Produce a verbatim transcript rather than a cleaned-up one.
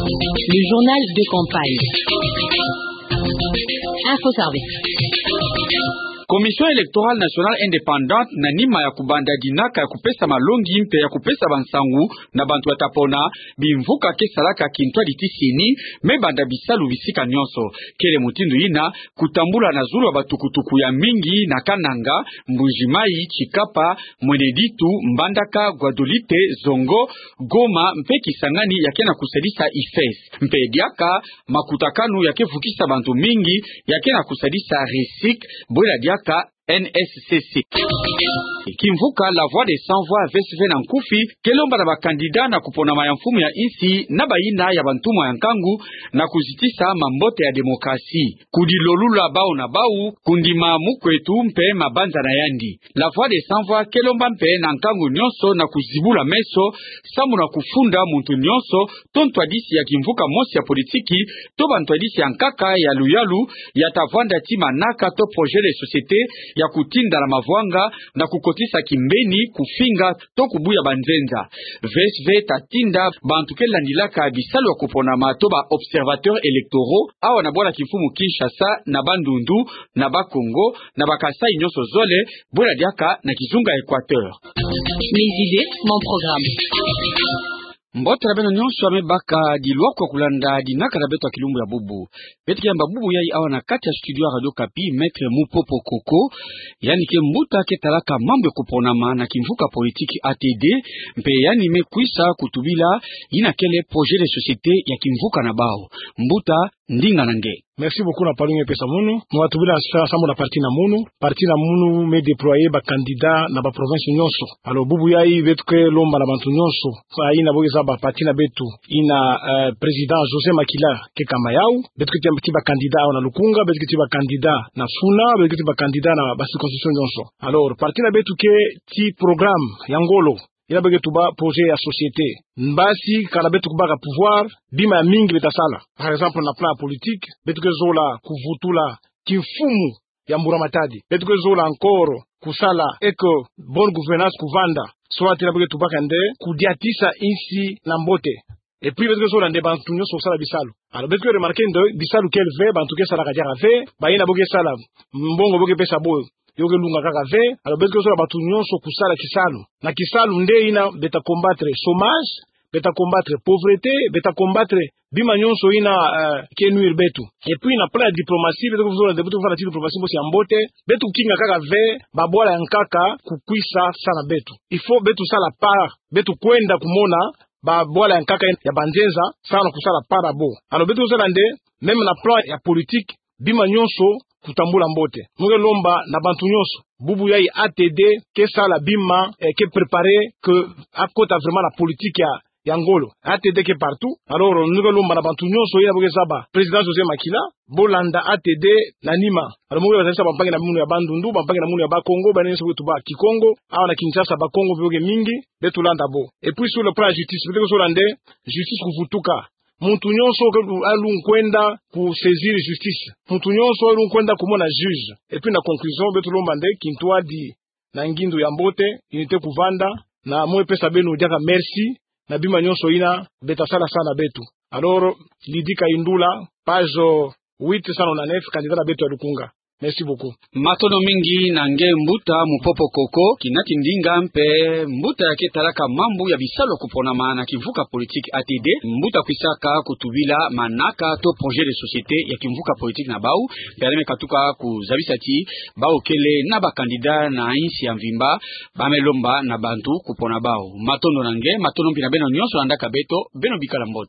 Le journal de campagne. Info Service. Commission électorale nationale indépendante, na nima ya kubanda dinaka ya kupesa malongi mpe ya kupesa bansangu na bantu bata pona bimvuka ke salaka kintwadi tisini, me banda bisalu bisika nyonso. Kele mutindu yina, kutambula na zulu ya batukutuku ya mingi na Kananga, Mbuji-Mayi, Tshikapa, Mweneditu, Mbandaka, Guadolite, Zongo, Goma mpe Kisangani ya ke na kusadisa IFES. Mpe diaka makutakanu ya ke vukisa bantu mingi ya ke na kusadisa RESIC, bwela diaka N S C C. Kimvuka La Voix des Sans Voix, V S V na nkufi, ke lomba na bakandida na kuponama ya mfumu ya insi na bayina ya bantumwa ya nkangu na kuzitisa mambote ya demokrasi, kudilolula bau na bau, kundima mukwetu mpe mabanza na yandi. La Voix des Sans Voix ke lomba mpe na nkangu nyonso na kuzibula meso, samu na kufunda muntu nyonso to ntwadisi ya kimvuka mosi ya politiki, to bantwadisi ya nkaka ya luyalu, ya ta vwanda ti manaka to projet de société ya kutinda na mavwanga, na kukotisa kimbeni, kufinga, to kubuya banzenza. V S V ta tinda bantu ke landilaka bisalu ya kuponama to ba observateurs électoraux, awa na bwala kimfumu Kinshasa, na Bandundu, na Bas-Congo, na Bas-Kasaï nyonso zole, bwela diaka na kizunga Équateur. Mes idées, mon programme. Mbote na beno nyonso ya me baka dilwakwa kulanda dinaka na beto ya kilumbu ya bubu. Beto ke yamba bubu yai awa na kati ya studio ya Radio Okapi, Maître Mupopo Koko, yandi ke mbuta ke talaka mambu ya kuponama na kimvuka politiki A T D, mpe yandi me kwisa kutubila yina kele projet de société ya kimvuka na bau. Mbuta, ndinga na nge. Merci beaucoup na palu nge pesa munu. Mu watubila sa-, sambu na parti na munu. Parti na munu me déployer ba candidats na ba provinces nyonso. Alors, bubu yai beto ke lomba na bantu nyonso, sa yina bo ke zaba parti na beto, yina, euh, président José Makila ke kama yau. Beto ke tia ti ba candidats awa na Lukunga, beto ke ti ba candidats na Funa, beto ke ti ba candidats na ba circonscriptions nyonso. Alors, parti na beto ke ti programme ya ngolo, yina bo ke tuba projet ya société. Mbasi, kana beto kubaka pouvoir, bima ya mingi beta sala. Par exemple, na plan politique, beto ke zola kuvutula kimfumu ya Mbura Matadi. Beto ke zola encore kusala eke bonne gouvernance kuvanda. Soit yina bo ke tubaka nde kudiatisa insi na mbote. Et puis beto ke zola nde bantu nyonso kusala bisalu. Alors, beto ke remarquer nde bisalu kele ve, bantu ke salaka diaka ve, bayina bo ke sala, mbongo bo ke pesa bo, yo ke lunga kaka ve. Alors, beto ke zola bantu nyonso kusala kisalu. Na kisalu nde yina beta combattre chômage, beta combattre pauvreté, beta combattre bima nyonso yina, euh, ke nuire beto. Et puis na plan ya diplomatie, beto ke zola nde beto ke fana ti diplomatie mosi ya mbote, beto kinga kaka ve ba bwala ya nkaka kukwisa sa na beto. Il faut beto sala part, beto kwenda kumona ba bwala ya nkaka ya banzenza, samu na kusala part ya bo. Alors, beto ke zola nde, même na plan ya politique, bima nyonso kutambula mbote. Mu ke lomba na bantu nyonso, bubu yai A T D ke sala bima, eh, ke préparer que akota vraiment na politique ya, ya ngolo. A T D ke partout. Alors, mu ke lomba na bantu nyonso yina bo ke zaba président José Makila, bo landa A T D na nima. Alors, mu ke landa sa bampangi na munu ya Bandundu, bampangi na munu ya Bas-Congo, bayina nyonso bo ke tuba Kikongo, awa na Kinshasa Bas-Congo bo ke mingi, beto landa bo. Et puis sur le plan ya justice, beto ke zola nde justice kuvutuka. Muntu nyonso ke alungwa kwenda ku saisir justice. Muntu nyonso alungwa kwenda kumona juge. Et puis na conclusion, beto lomba nde kintwadi na ngindu ya mbote, unité kuvanda, na mu pesa beno diaka merci na bima nyonso yina beta sala sa na beto. Alors, Lydie Kayindula, page huit cent nonante-neuf, candidat na beto ya Lukunga. Merci beaucoup. Matondo mingi na nge mbuta Mupopo Koko, kinati ndinga mpe mbuta ya ke talaka mambu ya bisalu ya kuponama na kimvuka politique A T D, mbuta kwisaka kutubila manaka to projet de société ya kimvuka politique na bau, mpe yandi me katuka kuzabisa ti bau kele na ba candidats na insi ya mvimba, ba me lomba na bantu kupona bau. Matondo na nge, matondo mpi na beno nyonso landaka beto, beno bikala mbote.